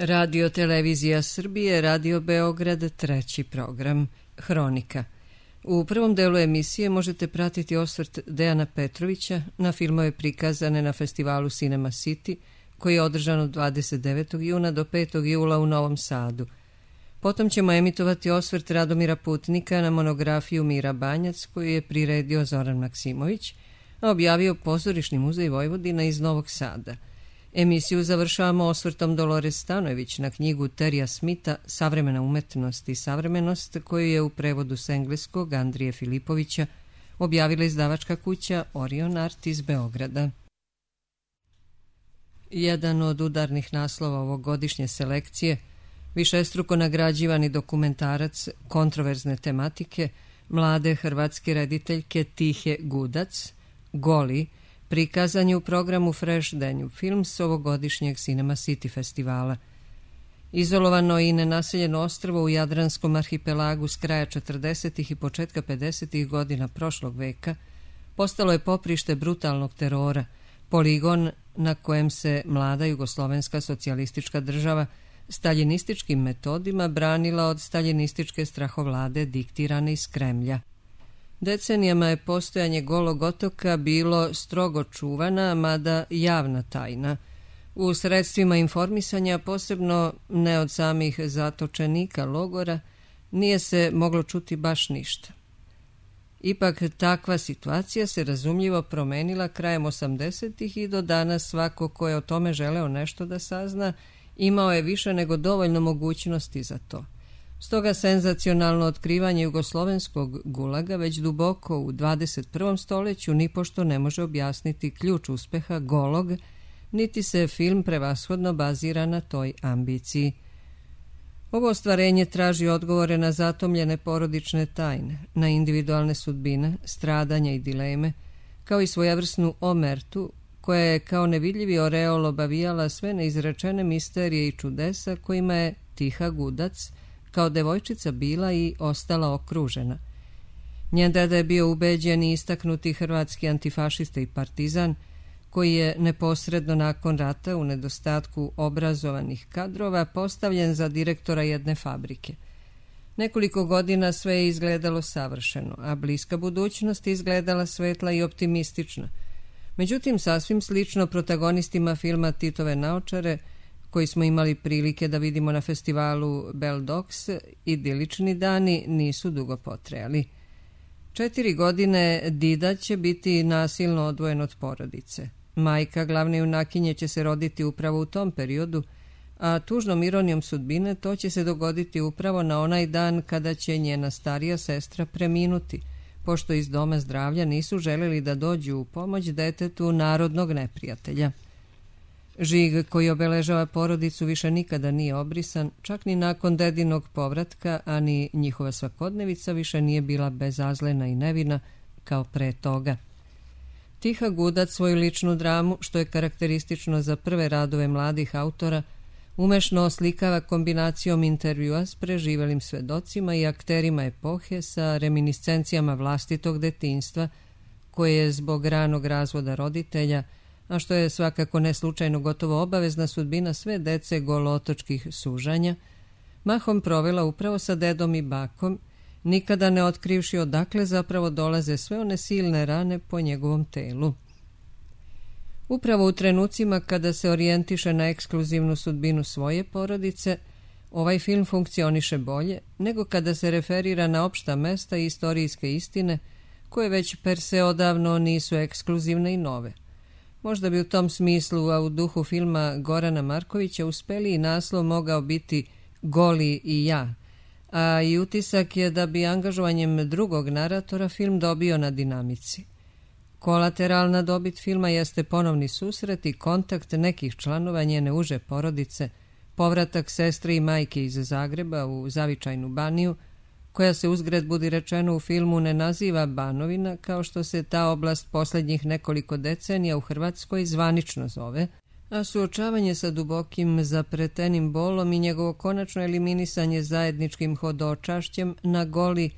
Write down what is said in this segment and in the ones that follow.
Radio Televizija Srbije, Radio Beograd, treći program, Hronika. U prvom delu emisije možete pratiti osvrt Dejana Petrovića na filmove prikazane na festivalu Cinema City, koji je održan od 29. juna do 5. jula u Novom Sadu. Potom ćemo emitovati osvrt Radomira Putnika na monografiju Mira Banjac, koju je priredio Zoran Maksimović, a objavio Pozorišni muzej Vojvodina iz Novog Sada. Emisiju završavamo osvrtom Dolores Stanojević na knjigu Terija Smitha Savremena umetnost i savremenost, koju je u prevodu s engleskog Andrije Filipovića objavila izdavačka kuća Orion Art iz Beograda. Jedan od udarnih naslova ovogodišnje selekcije, višestruko nagrađivani dokumentarac kontroverzne tematike mlade hrvatske rediteljke Tihe Gudac, Goli, prikazan je u programu Fresh Danube Films ovogodišnjeg Cinema City festivala. Izolovano i nenaseljeno ostrvo u Jadranskom arhipelagu s kraja 40. i početka 50. godina prošlog veka postalo je poprište brutalnog terora, poligon na kojem se mlada jugoslovenska socijalistička država staljinističkim metodima branila od staljinističke strahovlade diktirane iz Kremlja. Decenijama je postojanje Golog otoka bilo strogo čuvana, mada javna tajna. U sredstvima informisanja, posebno ne od samih zatočenika logora, nije se moglo čuti baš ništa. Ipak takva situacija se razumljivo promenila krajem 80-ih i do danas svako ko je o tome želeo nešto da sazna, imao je više nego dovoljno mogućnosti za to. Stoga senzacionalno otkrivanje jugoslovenskog gulaga već duboko u 21. stoljeću nipošto ne može objasniti ključ uspeha Golog, niti se film prevashodno bazira na toj ambiciji. Ovo ostvarenje traži odgovore na zatomljene porodične tajne, na individualne sudbine, stradanja i dileme, kao i svojevrsnu omertu, koja je kao nevidljivi oreol obavijala sve neizrečene misterije i čudesa kojima je Tiha Gudac kao devojčica bila i ostala okružena. Njen deda je bio ubeđen i istaknuti hrvatski antifašista i partizan, koji je neposredno nakon rata u nedostatku obrazovanih kadrova postavljen za direktora jedne fabrike. Nekoliko godina sve je izgledalo savršeno, a bliska budućnost izgledala svetla i optimistična. Međutim, sasvim slično protagonistima filma Titove naočare, koji smo imali prilike da vidimo na festivalu Bell Dogs, idilični dani nisu dugo potrajali. 4 godine Dida će biti nasilno odvojen od porodice. Majka glavne junakinje će se roditi upravo u tom periodu, a tužnom ironijom sudbine to će se dogoditi upravo na onaj dan kada će njena starija sestra preminuti, pošto iz doma zdravlja nisu želeli da dođu u pomoć detetu narodnog neprijatelja. Žig koji obeležava porodicu više nikada nije obrisan, čak ni nakon dedinog povratka, a ni njihova svakodnevica više nije bila bezazlena i nevina kao pre toga. Tiha Gudac svoju ličnu dramu, što je karakteristično za prve radove mladih autora, umešno oslikava kombinacijom intervjua s preživelim svedocima i akterima epohe sa reminiscencijama vlastitog detinjstva, koje je zbog ranog razvoda roditelja, a što je svakako ne slučajno gotovo obavezna sudbina sve dece golootočkih sužanja, mahom provela upravo sa dedom i bakom, nikada ne otkrivši odakle zapravo dolaze sve one silne rane po njegovom telu. Upravo u trenucima kada se orijentiše na ekskluzivnu sudbinu svoje porodice, ovaj film funkcioniše bolje nego kada se referira na opšta mesta i istorijske istine, koje već per se odavno nisu ekskluzivne i nove. Možda bi u tom smislu, a u duhu filma Gorana Markovića, uspeli i naslov mogao biti Goli i ja, a i utisak je da bi angažovanjem drugog naratora film dobio na dinamici. Kolateralna dobit filma jeste ponovni susret i kontakt nekih članova njene uže porodice, povratak sestre i majke iz Zagreba u zavičajnu Baniju, koja se uzgred budi rečeno u filmu ne naziva Banovina, kao što se ta oblast posljednjih nekoliko decenija u Hrvatskoj zvanično zove, a suočavanje sa dubokim zapretenim bolom i njegovo konačno eliminisanje zajedničkim hodočašćem na Goli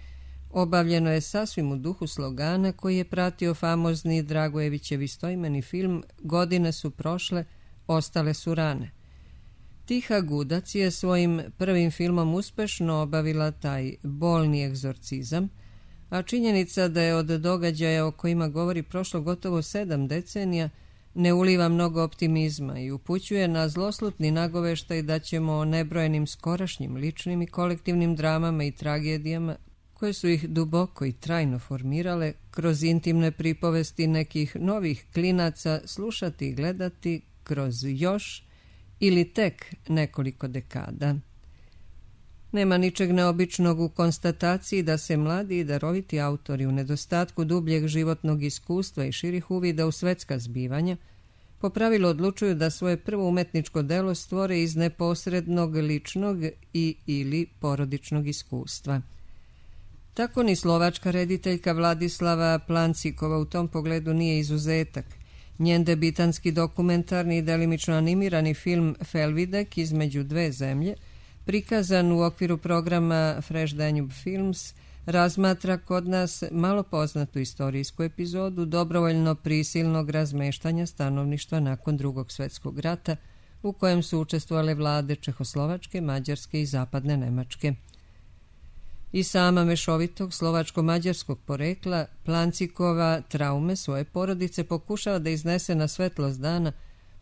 obavljeno je sasvim u duhu slogana koji je pratio famozni Dragojevićev istoimeni film Godine su prošle, ostale su rane. Tiha Gudac je svojim prvim filmom uspešno obavila taj bolni egzorcizam, a činjenica da je od događaja o kojima govori prošlo gotovo 7 decenija ne uliva mnogo optimizma i upućuje na zloslutni nagoveštaj da ćemo o nebrojenim skorašnjim ličnim i kolektivnim dramama i tragedijama koje su ih duboko i trajno formirale kroz intimne pripovesti nekih novih klinaca slušati i gledati kroz još ili tek nekoliko dekada. Nema ničeg neobičnog u konstataciji da se mladi i daroviti autori u nedostatku dubljeg životnog iskustva i širih uvida u svetska zbivanja po pravilu odlučuju da svoje prvo umetničko delo stvore iz neposrednog ličnog i ili porodičnog iskustva. Tako ni slovačka rediteljka Vladislava Plancikova u tom pogledu nije izuzetak. Njen debitanski dokumentarni i delimično animirani film Felvidek između dve zemlje, prikazan u okviru programa Fresh Danube Films, razmatra kod nas malo poznatu istorijsku epizodu dobrovoljno prisilnog razmeštanja stanovništva nakon Drugog svjetskog rata, u kojem su učestvovale vlade Čehoslovačke, Mađarske i Zapadne Nemačke. I sama mešovitog slovačko-mađarskog porekla, Plancikova traume svoje porodice pokušava da iznese na svetlost dana,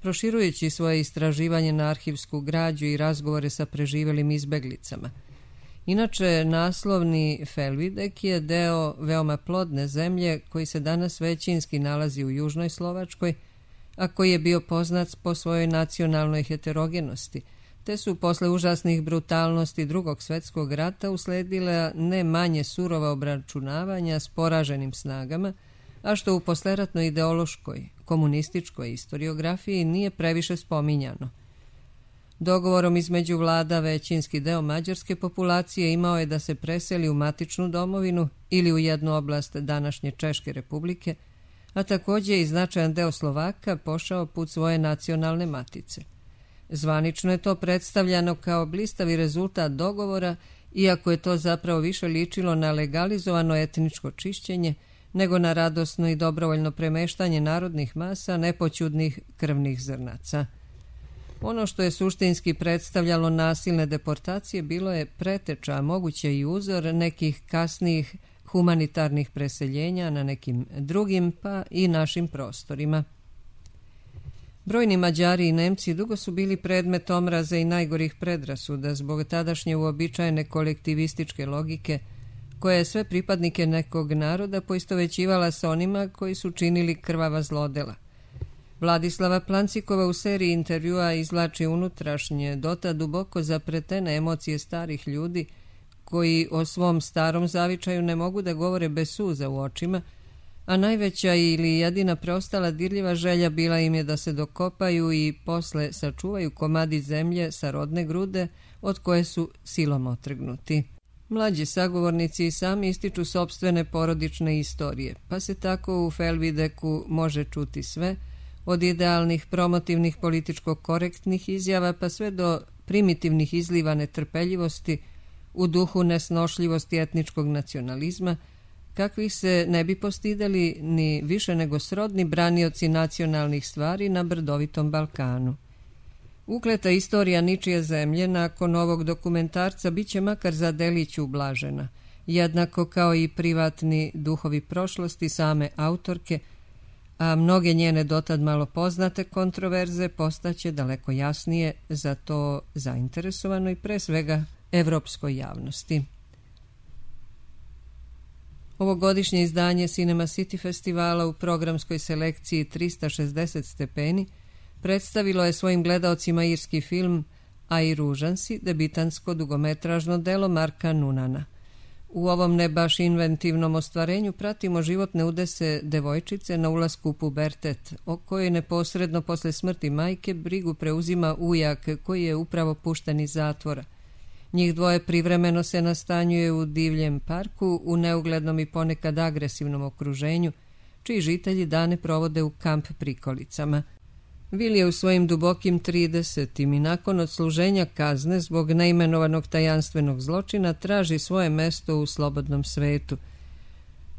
proširujući svoje istraživanje na arhivsku građu i razgovore sa preživelim izbeglicama. Inače, naslovni Felvidek je deo veoma plodne zemlje koji se danas većinski nalazi u južnoj Slovačkoj, a koji je bio poznat po svojoj nacionalnoj heterogenosti, te su posle užasnih brutalnosti Drugog svjetskog rata usledile ne manje surova obračunavanja s poraženim snagama, a što u posleratnoj ideološkoj, komunističkoj historiografiji nije previše spominjano. Dogovorom između vlada većinski deo mađarske populacije imao je da se preseli u matičnu domovinu ili u jednu oblast današnje Češke republike, a također i značajan deo Slovaka pošao put svoje nacionalne matice. Zvanično je to predstavljano kao blistavi rezultat dogovora, iako je to zapravo više ličilo na legalizovano etničko čišćenje nego na radosno i dobrovoljno premeštanje narodnih masa nepoćudnih krvnih zrnaca. Ono što je suštinski predstavljalo nasilne deportacije bilo je preteča, a moguće i uzor nekih kasnijih humanitarnih preseljenja na nekim drugim pa i našim prostorima. Brojni Mađari i Nemci dugo su bili predmet omraza i najgorih predrasuda zbog tadašnje uobičajene kolektivističke logike, koja je sve pripadnike nekog naroda poistovećivala sa onima koji su činili krvava zlodela. Vladislava Plancikova u seriji intervjua izvlači unutrašnje, dotad duboko zapretene emocije starih ljudi, koji o svom starom zavičaju ne mogu da govore bez suza u očima, a najveća ili jedina preostala dirljiva želja bila im je da se dokopaju i posle sačuvaju komadi zemlje sa rodne grude od koje su silom otrgnuti. Mlađi sagovornici i sami ističu sopstvene porodične istorije, pa se tako u Felvideku može čuti sve, od idealnih, promotivnih, političko-korektnih izjava pa sve do primitivnih izliva netrpeljivosti u duhu nesnošljivosti etničkog nacionalizma, kakvih se ne bi postidali ni više nego srodni branioci nacionalnih stvari na brdovitom Balkanu. Ukleta istorija ničije zemlje nakon ovog dokumentarca bit će makar za delić ublažena, jednako kao i privatni duhovi prošlosti same autorke, a mnoge njene dotad malo poznate kontroverze postaće daleko jasnije za to zainteresovanoj pre svega evropskoj javnosti. Ovogodišnje izdanje Cinema City festivala u programskoj selekciji 360 stepeni predstavilo je svojim gledaocima irski film Aj ružan si, debitansko dugometražno delo Marka Nunana. U ovom ne baš inventivnom ostvarenju pratimo životne udese devojčice na ulasku u pubertet, o kojoj neposredno posle smrti majke brigu preuzima ujak koji je upravo pušten iz zatvora. Njih dvoje privremeno se nastanjuje u divljem parku u neuglednom i ponekad agresivnom okruženju, čiji žitelji dane provode u kamp prikolicama. Will je u svojim dubokim 30. i nakon odsluženja kazne zbog neimenovanog tajanstvenog zločina traži svoje mesto u slobodnom svetu.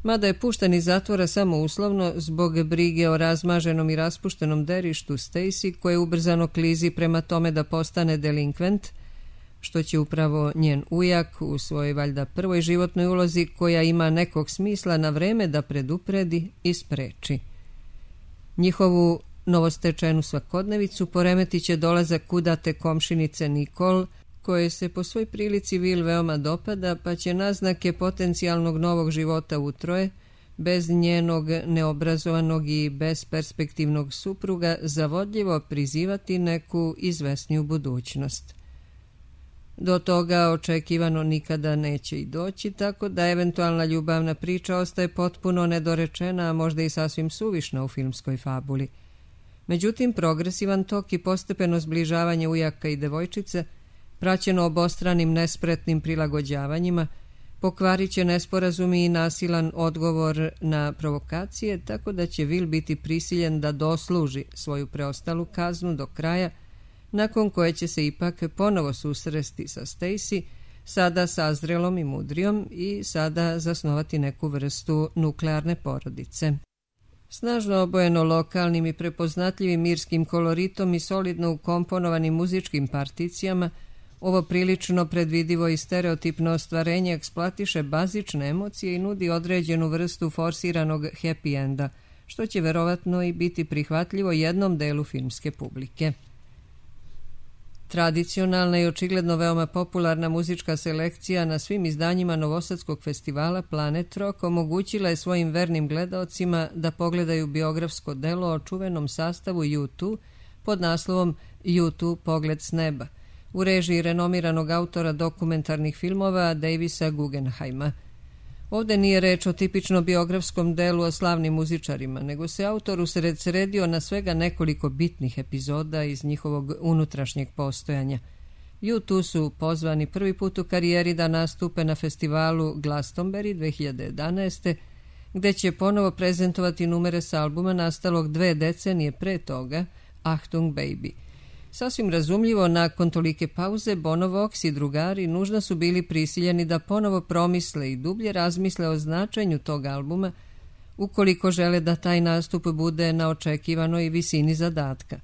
Mada je pušten iz zatvora samo uslovno zbog brige o razmaženom i raspuštenom derištu Stacy, koje ubrzano klizi prema tome da postane delinkvent, što će upravo njen ujak u svojoj valjda prvoj životnoj ulozi, koja ima nekog smisla, na vreme da predupredi i spreči. Njihovu novostečenu svakodnevicu poremetit će dolazak kudate komšinice Nicole, koje se po svoj prilici Will veoma dopada, pa će naznake potencijalnog novog života utroje, bez njenog neobrazovanog i besperspektivnog supruga, zavodljivo prizivati neku izvesniju budućnost. Do toga očekivano nikada neće i doći, tako da eventualna ljubavna priča ostaje potpuno nedorečena, a možda i sasvim suvišna u filmskoj fabuli. Međutim, progresivan tok i postepeno zbližavanje ujaka i devojčice, praćeno obostranim nespretnim prilagođavanjima, pokvarit će nesporazumi i nasilan odgovor na provokacije, tako da će Will biti prisiljen da dosluži svoju preostalu kaznu do kraja, nakon koje će se ipak ponovo susresti sa Stacy, sada sazrelom i mudrijom, i sada zasnovati neku vrstu nuklearne porodice. Snažno obojeno lokalnim i prepoznatljivim irskim koloritom i solidno ukomponovanim muzičkim particijama, ovo prilično predvidivo i stereotipno ostvarenje eksploatiše bazične emocije i nudi određenu vrstu forsiranog happy enda, što će verovatno i biti prihvatljivo jednom delu filmske publike. Tradicionalna i očigledno veoma popularna muzička selekcija na svim izdanjima Novosadskog festivala Planet Rock omogućila je svojim vernim gledaocima da pogledaju biografsko delo o čuvenom sastavu U2 pod naslovom U2 Pogled s neba, u režiji renomiranog autora dokumentarnih filmova Davisa Guggenheima. Ovdje nije reč o tipično biografskom delu o slavnim muzičarima, nego se autor usredsredio na svega nekoliko bitnih epizoda iz njihovog unutrašnjeg postojanja. U2 su pozvani prvi put u karijeri da nastupe na festivalu Glastonbury 2011. gde će ponovo prezentovati numere s albuma nastalog 2 decenije pre toga, Achtung Baby. Sasvim razumljivo, nakon tolike pauze, Bono Vox i drugari nužno su bili prisiljeni da ponovo promisle i dublje razmisle o značenju tog albuma, ukoliko žele da taj nastup bude na očekivanoj visini zadatka.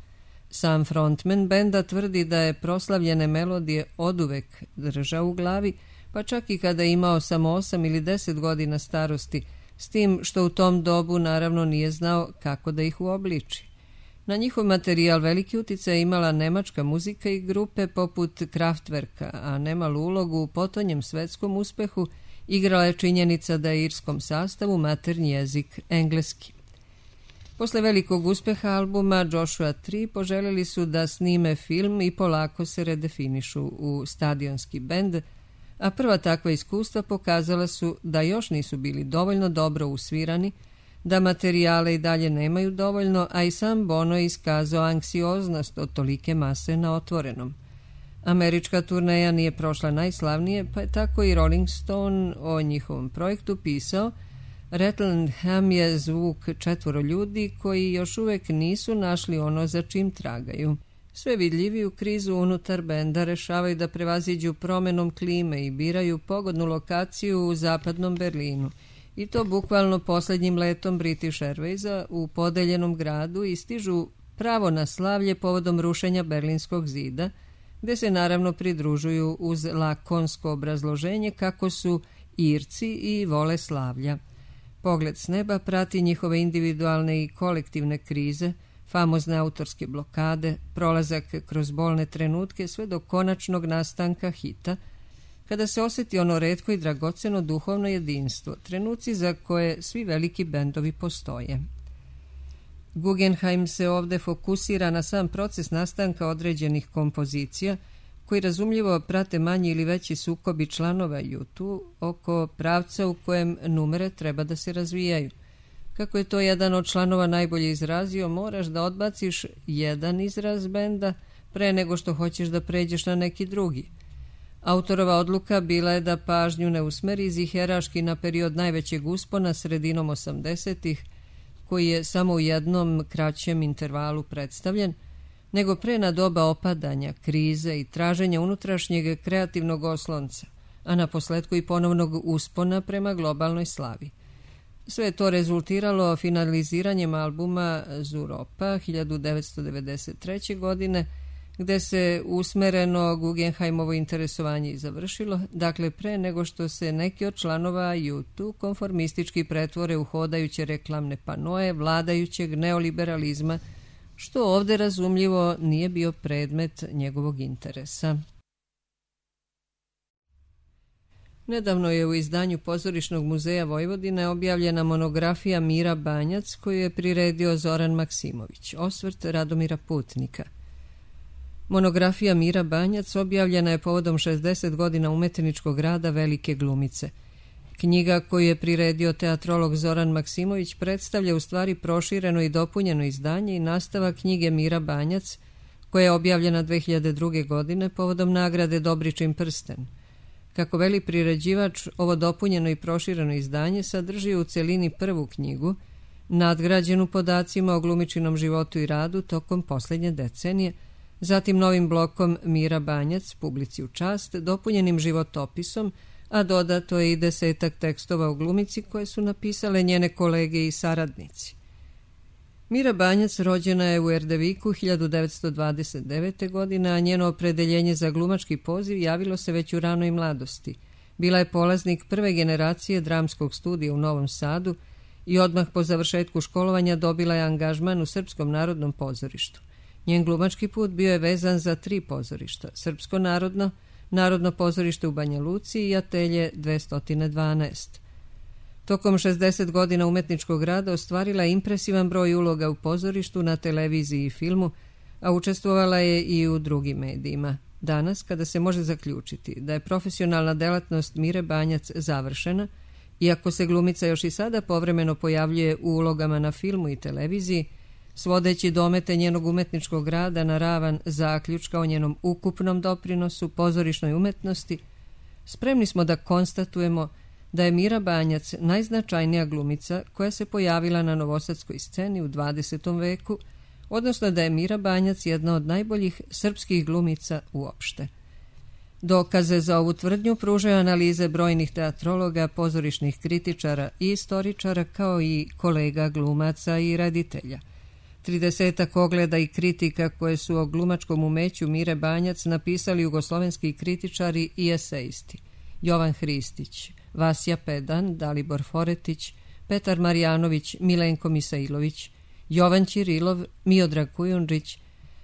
Sam frontman benda tvrdi da je proslavljene melodije oduvek držao u glavi, pa čak i kada je imao samo 8 ili 10 godina starosti, s tim što u tom dobu naravno nije znao kako da ih uobliči. Na njihov materijal veliki uticaj imala nemačka muzika i grupe poput Kraftwerka, a nemalu ulogu u potonjem svetskom uspehu igrala je činjenica da je irskom sastavu maternji jezik engleski. Posle velikog uspeha albuma Joshua Tree poželjeli su da snime film i polako se redefinišu u stadionski bend, a prva takva iskustva pokazala su da još nisu bili dovoljno dobro usvirani, da materijale i dalje nemaju dovoljno, a i sam Bono je iskazao anksioznost od tolike mase na otvorenom. Američka turneja nije prošla najslavnije, pa je tako i Rolling Stone o njihovom projektu pisao: Rattlingham je zvuk 4 ljudi koji još uvek nisu našli ono za čim tragaju. Sve vidljiviju krizu unutar benda rešavaju da prevaziđu promenom klime i biraju pogodnu lokaciju u zapadnom Berlinu. I to bukvalno posljednjim letom British Airwaysa u podeljenom gradu i stižu pravo na slavlje povodom rušenja Berlinskog zida, gde se naravno pridružuju uz lakonsko obrazloženje kako su Irci i vole slavlja. Pogled s neba prati njihove individualne i kolektivne krize, famozne autorske blokade, prolazak kroz bolne trenutke sve do konačnog nastanka hita, kada se osjeti ono retko i dragoceno duhovno jedinstvo, trenuci za koje svi veliki bendovi postoje. Guggenheim se ovdje fokusira na sam proces nastanka određenih kompozicija, koji razumljivo prate manji ili veći sukobi članova U2 oko pravca u kojem numere treba da se razvijaju. Kako je to jedan od članova najbolje izrazio, moraš da odbaciš jedan izraz benda pre nego što hoćeš da pređeš na neki drugi. Autorova odluka bila je da pažnju ne usmeri ziheraški na period najvećeg uspona sredinom 80-ih, koji je samo u jednom kraćem intervalu predstavljen, nego pre na doba opadanja, krize i traženja unutrašnjeg kreativnog oslonca, a na posledku i ponovnog uspona prema globalnoj slavi. Sve je to rezultiralo finaliziranjem albuma Zuropa 1993. godine, gde se usmereno Guggenheimovo interesovanje i završilo, dakle pre nego što se neki od članova U2 konformistički pretvore u hodajuće reklamne panoe vladajućeg neoliberalizma, što ovde razumljivo nije bio predmet njegovog interesa. Nedavno je u izdanju Pozorišnog muzeja Vojvodine objavljena monografija Mira Banjac koju je priredio Zoran Maksimović, osvrt Radomira Putnika. Monografija Mira Banjac objavljena je povodom 60 godina umetničkog rada velike glumice. Knjiga koju je priredio teatrolog Zoran Maksimović predstavlja u stvari prošireno i dopunjeno izdanje i nastavak knjige Mira Banjac, koja je objavljena 2002. godine povodom nagrade Dobričin prsten. Kako veli priređivač, ovo dopunjeno i prošireno izdanje sadrži u celini prvu knjigu, nadgrađenu podacima o glumičinom životu i radu tokom posljednje decenije, zatim novim blokom Mira Banjac, publici u čast, dopunjenim životopisom, a dodato je i 10 tekstova o glumici koje su napisale njene kolege i saradnici. Mira Banjac rođena je u Erdeviku 1929. godine, a njeno opredeljenje za glumački poziv javilo se već u ranoj mladosti. Bila je polaznik prve generacije dramskog studija u Novom Sadu i odmah po završetku školovanja dobila je angažman u Srpskom narodnom pozorištu. Njen glumački put bio je vezan za 3 pozorišta: Srpsko narodno, Narodno pozorište u Banja Luci i Atelje 212. Tokom 60 godina umetničkog rada ostvarila je impresivan broj uloga u pozorištu, na televiziji i filmu, a učestvovala je i u drugim medijima. Danas, kada se može zaključiti da je profesionalna delatnost Mire Banjac završena, iako se glumica još i sada povremeno pojavljuje u ulogama na filmu i televiziji, svodeći domete njenog umetničkog rada na ravan zaključka o njenom ukupnom doprinosu pozorišnoj umetnosti, spremni smo da konstatujemo da je Mira Banjac najznačajnija glumica koja se pojavila na novosadskoj sceni u 20. veku, odnosno da je Mira Banjac jedna od najboljih srpskih glumica uopšte. Dokaze za ovu tvrdnju pružaju analize brojnih teatrologa, pozorišnih kritičara i istoričara, kao i kolega glumaca i reditelja. 30 ogleda i kritika koje su o glumačkom umeću Mire Banjac napisali jugoslovenski kritičari i esejisti: Jovan Hristić, Vasja Pedan, Dalibor Foretić, Petar Marjanović, Milenko Misailović, Jovan Ćirilov, Miodrag Kujundžić,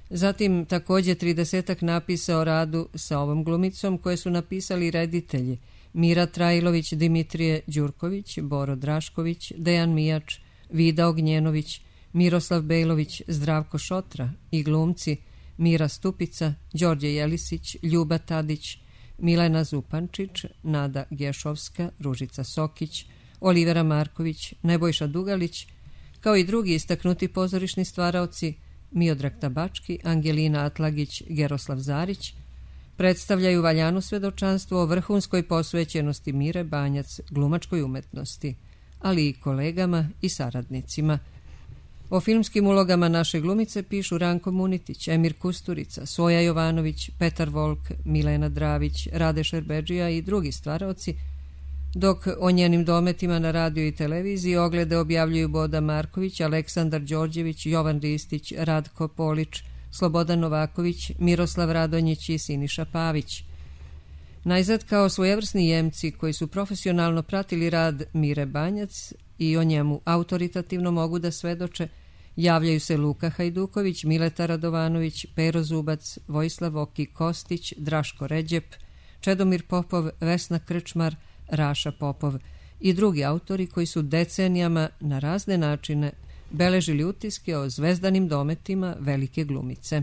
zatim također 30 napisa o radu sa ovom glumicom koje su napisali reditelji: Mira Trajlović, Dimitrije Đurković, Boro Drašković, Dejan Mijač, Vida Ognjenović, Miroslav Bejlović, Zdravko Šotra i glumci Mira Stupica, Đorđe Jelisić, Ljuba Tadić, Milena Zupančić, Nada Gešovska, Ružica Sokić, Olivera Marković, Nebojša Dugalić, kao i drugi istaknuti pozorišni stvaraoci Miodrag Tabački, Angelina Atlagić, Geroslav Zarić, predstavljaju valjano svedočanstvo o vrhunskoj posvećenosti Mire Banjac glumačkoj umetnosti, ali i kolegama i saradnicima. O filmskim ulogama naše glumice pišu Ranko Munitić, Emir Kusturica, Soja Jovanović, Petar Volk, Milena Dravić, Rade Šerbedžija i drugi stvaraoci, dok o njenim dometima na radiju i televiziji oglede objavljuju Boda Marković, Aleksandar Đorđević, Jovan Ristić, Radko Polić, Slobodan Novaković, Miroslav Radonjić i Siniša Pavić. Najzad, kao svojevrsni jemci koji su profesionalno pratili rad Mire Banjac i o njemu autoritativno mogu da svedoče, javljaju se Luka Hajduković, Mileta Radovanović, Pero Zubac, Vojislav Oki Kostić, Draško Ređep, Čedomir Popov, Vesna Krčmar, Raša Popov i drugi autori koji su decenijama na razne načine beležili utiske o zvezdanim dometima velike glumice.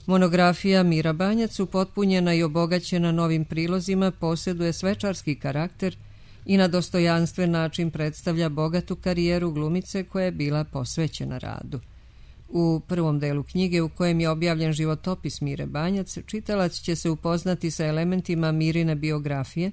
Monografija Mira Banjac, upotpunjena i obogaćena novim prilozima, posjeduje svečarski karakter i na dostojanstven način predstavlja bogatu karijeru glumice koja je bila posvećena radu. U prvom delu knjige, u kojem je objavljen životopis Mire Banjac, čitalac će se upoznati sa elementima Mirine biografije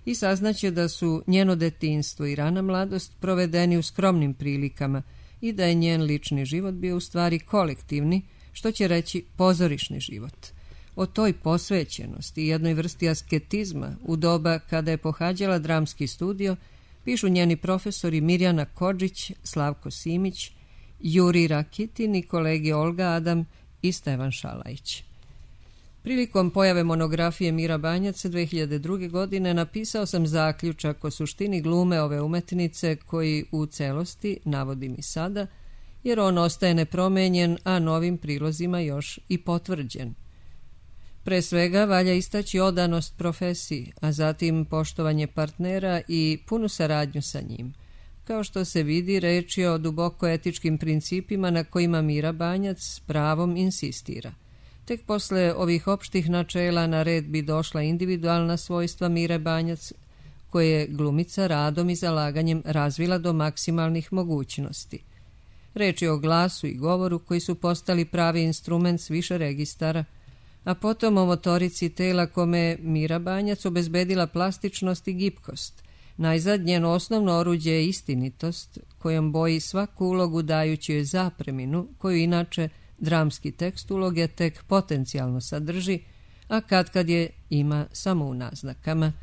i saznaće da su njeno detinjstvo i rana mladost provedeni u skromnim prilikama i da je njen lični život bio u stvari kolektivni, što će reći pozorišni život. O toj posvećenosti i jednoj vrsti asketizma u doba kada je pohađala dramski studio pišu njeni profesori Mirjana Kodžić, Slavko Simić, Juri Rakitin i kolege Olga Adam i Stevan Šalajić. Prilikom pojave monografije Mira Banjac 2002. godine napisao sam zaključak o suštini glume ove umetnice koji u celosti navodim i sada, jer on ostaje nepromenjen, a novim prilozima još i potvrđen. Pre svega valja istaći odanost profesiji, a zatim poštovanje partnera i punu saradnju sa njim. Kao što se vidi, reč je o duboko etičkim principima na kojima Mira Banjac s pravom insistira. Tek posle ovih opštih načela na red bi došla individualna svojstva Mire Banjac, koje je glumica radom i zalaganjem razvila do maksimalnih mogućnosti. Reč je o glasu i govoru koji su postali pravi instrument s više registara, a potom o motorici tela kome je Mira Banjac obezbedila plastičnost i gibkost. Najzad njeno osnovno oruđe je istinitost, kojom boji svaku ulogu dajući joj zapreminu, koju inače dramski tekst uloge tek potencijalno sadrži, a kad je ima samo u naznakama.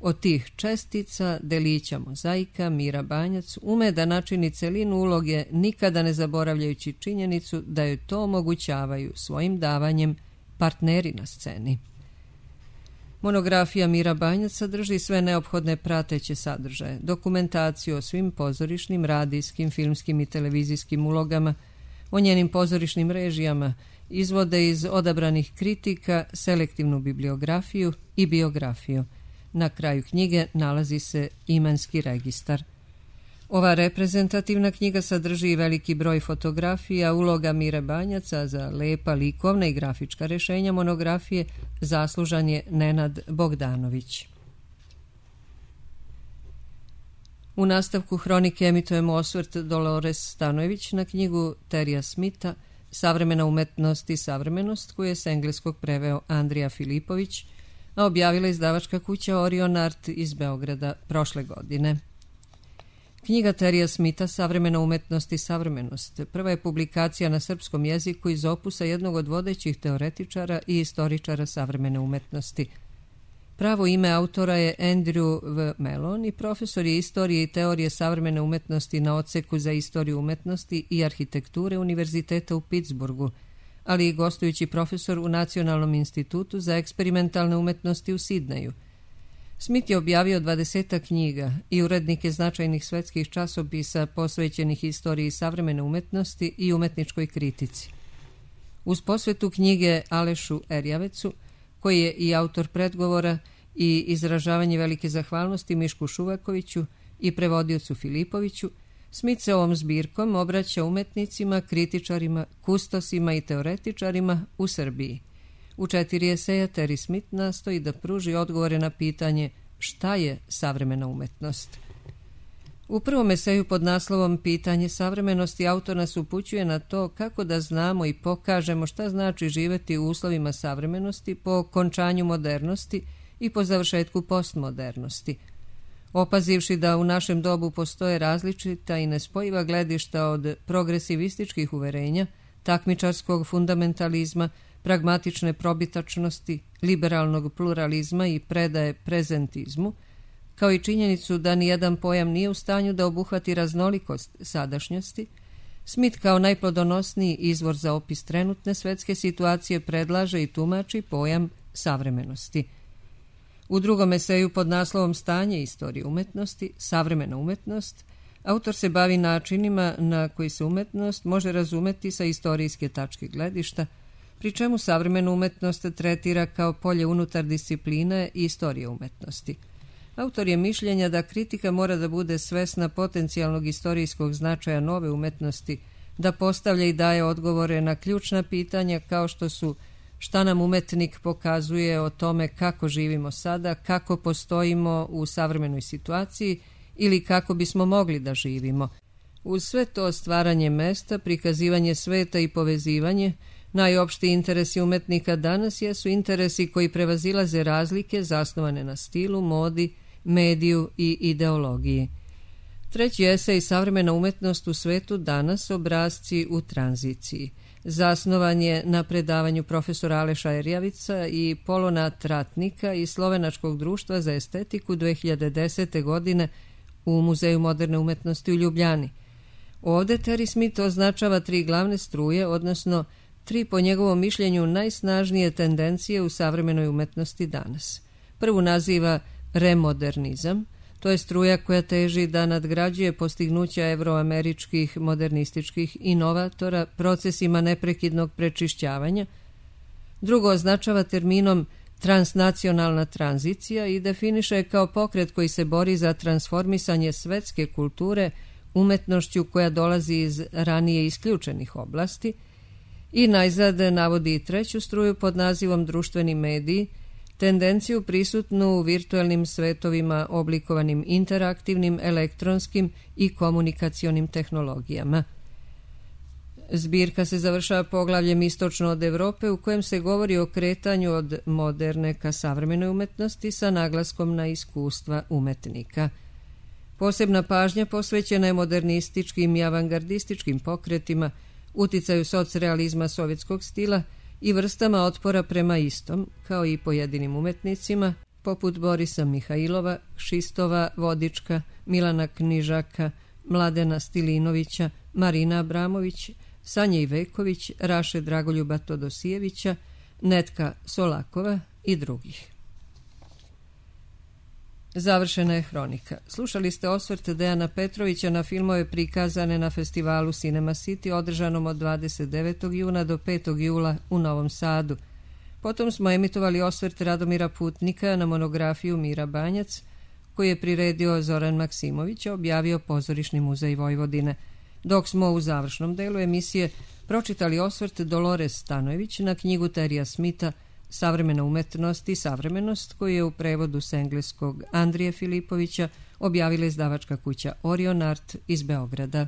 Od tih čestica, delića mozaika, Mira Banjac ume da načini celinu uloge, nikada ne zaboravljajući činjenicu da joj to omogućavaju svojim davanjem partneri na sceni. Monografija Mira Banjac sadrži sve neophodne prateće sadržaje, dokumentaciju o svim pozorišnim, radijskim, filmskim i televizijskim ulogama, o njenim pozorišnim režijama, izvode iz odabranih kritika, selektivnu bibliografiju i biografiju. Na kraju knjige nalazi se imanski registar. Ova reprezentativna knjiga sadrži i veliki broj fotografija, uloga Mire Banjaca. Za lepa likovna i grafička rešenja monografije zaslužan je Nenad Bogdanović. U nastavku hronike emitujemo osvrt Dolores Stanojević na knjigu Terija Smitha Savremena umetnost i savremenost, koju je s engleskog preveo Andrija Filipović, a objavila izdavačka kuća Orion Art iz Beograda prošle godine. Knjiga Terija Smitha Savremena umetnost i savremenost prva je publikacija na srpskom jeziku iz opusa jednog od vodećih teoretičara i istoričara savremene umetnosti. Pravo ime autora je Andrew V. Mellon i profesor je istorije i teorije savremene umetnosti na odseku za istoriju umetnosti i arhitekture Univerziteta u Pittsburghu, ali i gostujući profesor u Nacionalnom institutu za eksperimentalne umetnosti u Sidneju. Smith je objavio 20 knjiga i urednike značajnih svetskih časopisa posvećenih istoriji savremene umetnosti i umetničkoj kritici. Uz posvetu knjige Alešu Erjavecu, koji je i autor predgovora, i izražavanje velike zahvalnosti Mišku Šuvakoviću i prevodiocu Filipoviću, Smith se ovom zbirkom obraća umetnicima, kritičarima, kustosima i teoretičarima u Srbiji. U 4 eseja Terry Smith nastoji da pruži odgovore na pitanje šta je savremena umetnost. U prvom eseju pod naslovom Pitanje savremenosti autor nas upućuje na to kako da znamo i pokažemo šta znači živeti u uslovima savremenosti po okončanju modernosti i po završetku postmodernosti. Opazivši da u našem dobu postoje različita i nespojiva gledišta od progresivističkih uverenja, takmičarskog fundamentalizma, pragmatične probitačnosti, liberalnog pluralizma i predaje prezentizmu, kao i činjenicu da nijedan pojam nije u stanju da obuhvati raznolikost sadašnjosti, Smith kao najplodonosniji izvor za opis trenutne svetske situacije predlaže i tumači pojam savremenosti. U drugom eseju pod naslovom Stanje istorije umetnosti, savremena umetnost, autor se bavi načinima na koji se umetnost može razumeti sa istorijske tačke gledišta, pri čemu savremenu umetnost tretira kao polje unutar discipline i istorije umetnosti. Autor je mišljenja da kritika mora da bude svesna potencijalnog istorijskog značaja nove umetnosti, da postavlja i daje odgovore na ključna pitanja kao što su šta nam umetnik pokazuje o tome kako živimo sada, kako postojimo u savremenoj situaciji ili kako bismo mogli da živimo. Uz sve to stvaranje mesta, prikazivanje sveta i povezivanje, najopštiji interesi umetnika danas jesu interesi koji prevazilaze razlike zasnovane na stilu, modi, mediju i ideologiji. Treći esej Savremena umetnost u svetu danas, obrasci u tranziciji. Zasnovan je na predavanju profesora Aleša Erjavica i Polona Tratnika iz Slovenačkog društva za estetiku 2010. godine u Muzeju moderne umetnosti u Ljubljani. Ovde Terry Smith označava 3 glavne struje, odnosno 3 po njegovom mišljenju najsnažnije tendencije u savremenoj umetnosti danas. Prvu naziva remodernizam, to je struja koja teži da nadgrađuje postignuća evroameričkih modernističkih inovatora procesima neprekidnog prečišćavanja. Drugo označava terminom transnacionalna tranzicija i definiše kao pokret koji se bori za transformisanje svetske kulture umetnošću koja dolazi iz ranije isključenih oblasti. I najzad navodi i treću struju pod nazivom društveni mediji, tendenciju prisutnu u virtualnim svetovima oblikovanim interaktivnim, elektronskim i komunikacionim tehnologijama. Zbirka se završava poglavljem Istočno od Evrope u kojem se govori o kretanju od moderne ka savremenoj umetnosti sa naglaskom na iskustva umetnika. Posebna pažnja posvećena je modernističkim i avangardističkim pokretima, uticaju socrealizma sovjetskog stila i vrstama otpora prema istom, kao i pojedinim umetnicima, poput Borisa Mihajlova, Šistova Vodička, Milana Knižaka, Mladena Stilinovića, Marina Abramović, Sanje Iveković, Raše Dragoljuba Todosijevića, Netka Solakova i drugih. Završena je hronika. Slušali ste osvrt Dejana Petrovića na filmove prikazane na festivalu Cinema City održanom od 29. juna do 5. jula u Novom Sadu. Potom smo emitovali osvrt Radomira Putnika na monografiju Mira Banjac, koji je priredio Zoran Maksimović, objavio Pozorišni muzej Vojvodine, dok smo u završnom delu emisije pročitali osvrt Dolores Stanojević na knjigu Terija Smitha Savremena umetnost i savremenost, koju je u prevodu s engleskog Andrije Filipovića objavila izdavačka kuća Orion Art iz Beograda.